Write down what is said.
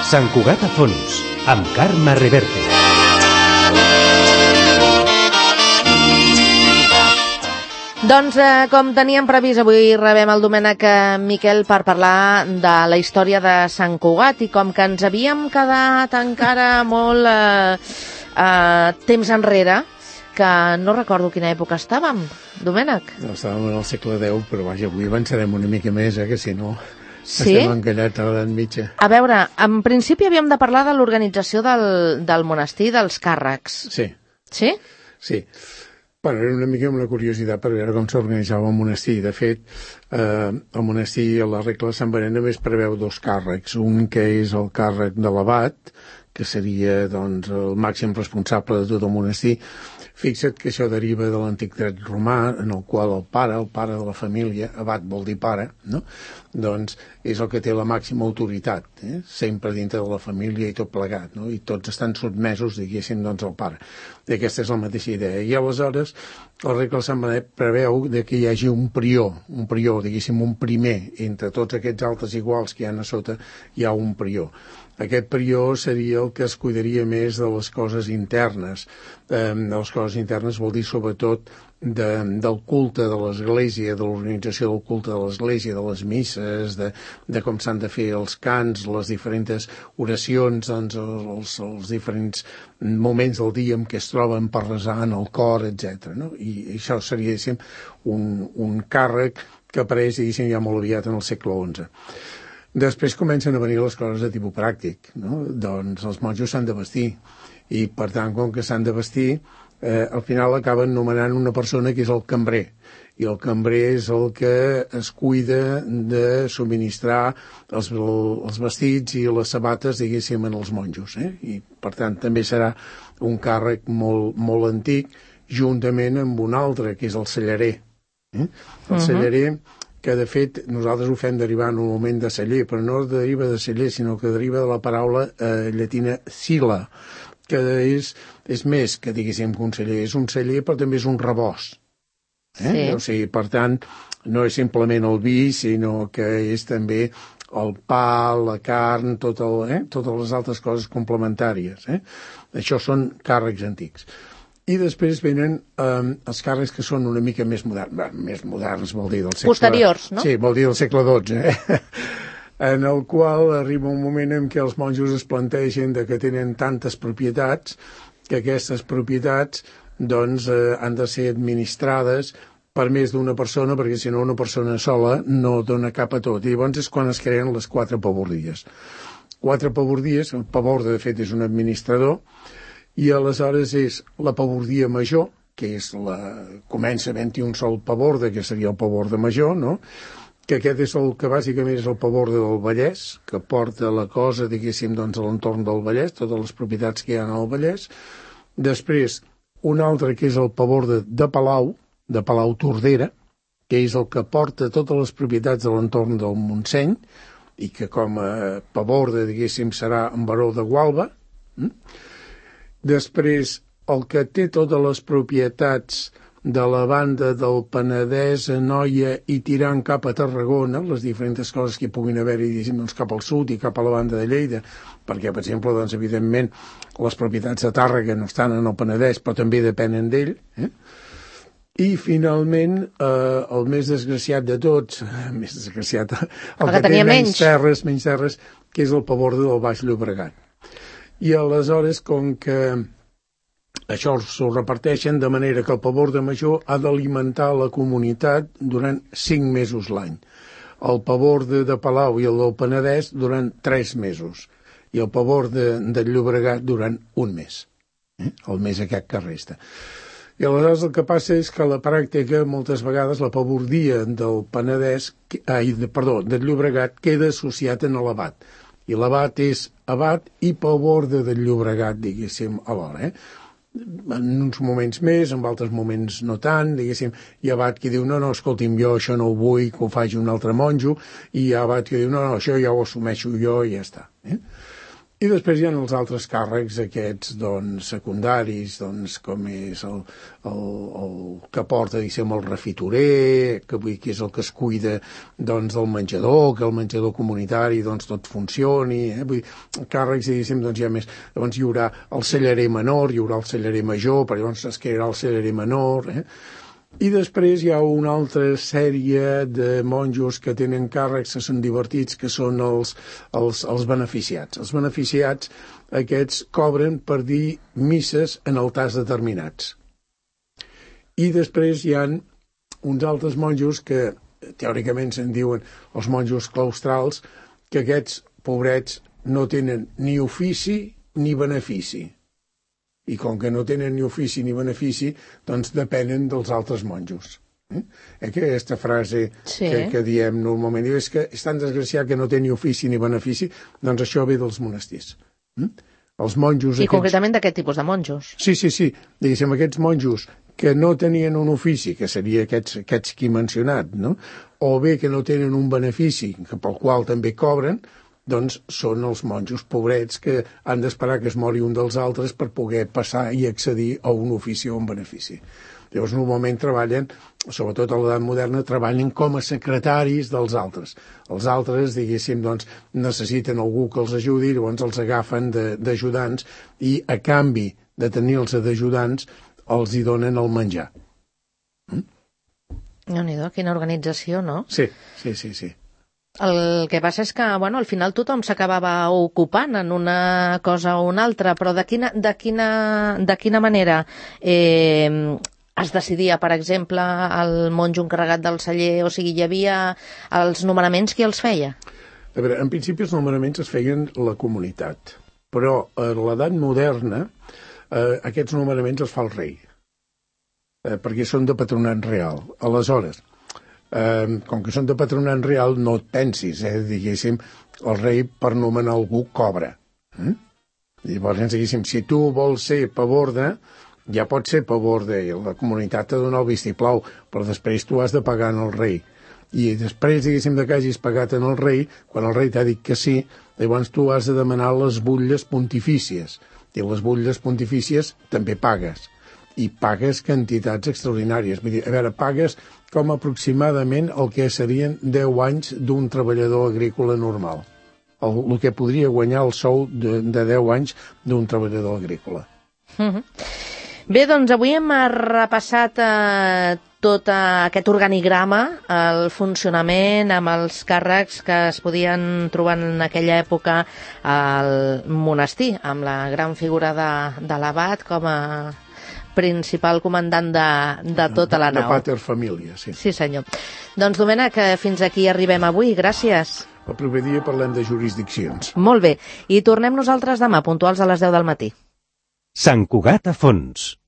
Sant Cugat a fons, amb Carme Reverte. Doncs, com teníem previst, avui rebem el Domènec Miquel per parlar de la història de Sant Cugat, i com que ens havíem quedat encara molt temps enrere, que no recordo quina època estàvem, Domènec. No, estàvem en el segle X, però vaja, avui avançarem una mica més, que si no sí? Estem encallats a l'edat mitja. A veure, en principi havíem de parlar de l'organització del monestir, dels càrrecs. Sí. Sí? Sí. Bueno, era una mica una curiositat per veure com s'organitzava el monestir. De fet, el monestir, a la regla de Sant Benet, només preveu 2 càrrecs. Un que és el càrrec de l'abat, que seria doncs, el màxim responsable de tot el monestir. Fixa't que això deriva de l'antic dret romà, en el qual el pare de la família, abat vol dir pare, no? Doncs és el que té la màxima autoritat, sempre dintre de la família i tot plegat, no? I tots estan sotmesos, diguéssim, doncs, al pare. I aquesta és la mateixa idea. I aleshores, la regla de Sant Benet preveu que hi hagi un prior, diguéssim, un primer. Entre tots aquests altres iguals que hi ha a sota, hi ha un prior. Aquest prior seria el que es cuidaria més de les coses internes. De les coses internes vol dir sobretot del culte de l'Església, de l'organització del culte de l'Església, de les misses, de com s'han de fer els cants, les diferents oracions, doncs, els diferents moments del dia en què es troben per resar en el cor, etc. No? I això seria, diguéssim, un càrrec que apareix, diguéssim, ja molt aviat en el segle XI. Després comencen a venir les coses de tipus pràctic, no? Doncs els monjos s'han de vestir, i per tant, com que s'han de vestir, al final acaben nomenant una persona que és el cambrer, i el cambrer és el que es cuida de subministrar els vestits i les sabates, diguéssim, en els monjos, i per tant també serà un càrrec molt, molt antic, juntament amb un altre, que és el cellarer. El cellarer, que de fet nosaltres ho fem derivar normalment de celler, però no deriva de celler, sinó que deriva de la paraula llatina cila, que és més que, diguéssim, que un celler. És un celler, però també és un rebost. Sí. O sigui, per tant, no és simplement el vi, sinó que és també el pa, la carn, totes les altres coses complementàries. Això són càrrecs antics. I després venen els càrrecs que són una mica més moderns. Més moderns vol dir del segle... Posteriors, no? Sí, vol dir del segle XII, en el qual arriba un moment en què els monjos es plantegen que tenen tantes propietats que aquestes propietats doncs, han de ser administrades per més d'una persona, perquè si no una persona sola no dona cap a tot. I llavors és quan es creen les 4 pavordies. 4 pavordies, el paborde de fet és un administrador, i aleshores és la pavordia major, que és comença 21 sol paborde, que seria el paborde major, no? Que aquest és el que bàsicament és el paborde del Vallès, que porta la cosa, diguéssim, doncs, a l'entorn del Vallès, totes les propietats que hi ha al Vallès. Després, un altre que és el paborde de Palau Tordera, que és el que porta totes les propietats de l'entorn del Montseny, i que com a paborde, diguéssim, serà en Baró de Gualba. Després, el que té totes les propietats de la banda del Penedès, Anoia i tirant cap a Tarragona, les diferents coses que hi puguin haver-hi, doncs, cap al sud i cap a la banda de Lleida, perquè, per exemple, doncs, evidentment, les propietats de Tàrrega no estan en el Penedès, però també depenen d'ell. I, finalment, el més desgraciat de tots, el que té menys terres, que és el paborde del Baix Llobregat. I aleshores, com que això s'ho reparteixen de manera que el paborde major ha d'alimentar la comunitat durant 5 mesos l'any. El paborde de Palau i el del Penedès durant 3 mesos. I el paborde del Llobregat durant 1 mes. El mes aquest que resta. I aleshores el que passa és que a la pràctica moltes vegades la pavordia del del Llobregat queda associat en l'abat. I l'abat és abat i paborde del Llobregat, diguéssim, alhora. En uns moments més, en altres moments no tant, diguéssim. Hi ha abat que diu, no, escolti'm, jo això no ho vull, que ho faci un altre monjo, i hi ha abat que diu, no, això ja ho assumeixo jo i ja està. I després hi ha els altres càrrecs aquests secundaris, com és el que porta, el refitorer, que és el que es cuida del menjador, que el menjador comunitari tot funcioni, vull dir, càrrecs, hi ha més. Llavors hi haurà el cellarer menor, hi haurà el cellarer major, però llavors es crearà el cellarer menor, I després hi ha una altra sèrie de monjos que tenen càrrecs que són divertits, que són els beneficiats. Els beneficiats, aquests cobren per dir misses en altars determinats. I després hi ha uns altres monjos que teòricament se'n diuen els monjos claustrals, que aquests pobrets no tenen ni ofici ni benefici. I com que no tenen ni ofici ni benefici, depenen dels altres monjos. Aquesta frase que diem normalment, és que és tan desgraciat que no té ni ofici ni benefici, això ve dels monestirs. Els monjos... I concretament d'aquest tipus de monjos. Sí. Diguéssim, aquests monjos que no tenien un ofici, que seria aquests que he mencionat, o bé que no tenen un benefici, pel qual també cobren, són els monjos pobrets que han d'esperar que es mori un dels altres per poder passar i accedir a un ofici o un benefici. Llavors, normalment treballen, sobretot a l'edat moderna, treballen com a secretaris dels altres. Els altres, necessiten algú que els ajudi, llavors els agafen d'ajudants i, a canvi de tenir-los d'ajudants, els hi donen el menjar. Déu-n'hi-do, quina organització, no? Sí. El que passa és que, al final tothom s'acabava ocupant en una cosa o una altra, però de quina manera es decidia, per exemple, el monjo encarregat del celler? O sigui, hi havia els nomenaments, qui els feia? A veure, en principi els nomenaments es feien la comunitat, però a l'edat moderna aquests nomenaments els fa el rei, perquè són de patronat real. Aleshores, com que són de patronat real, no et pensis, diguéssim, el rei per nomenar algú cobra. Llavors, diguéssim, si tu vols ser paborde, ja pots ser paborde, i la comunitat te dona el vistiplau, però després tu has de pagar al rei. I després, diguéssim, que hagis pagat al rei, quan el rei t'ha dit que sí, llavors tu has de demanar les butlles pontifícies. I les butlles pontifícies també pagues. I pagues quantitats extraordinàries. Vull dir, a veure, pagues com aproximadament el que serien 10 anys d'un treballador agrícola normal. El que podria guanyar el sou de 10 anys d'un treballador agrícola. Bé, doncs avui hem repassat tot aquest organigrama, el funcionament amb els càrrecs que es podien trobar en aquella època al monestir, amb la gran figura de l'abat com a principal comandant de tota la nau. De pater família, sí. Sí, senyor. Doncs, Domènec, fins aquí arribem avui. Gràcies. El proper dia parlem de jurisdiccions. Molt bé. I tornem nosaltres demà, puntuals a les 10 del matí. Sant Cugat a fons.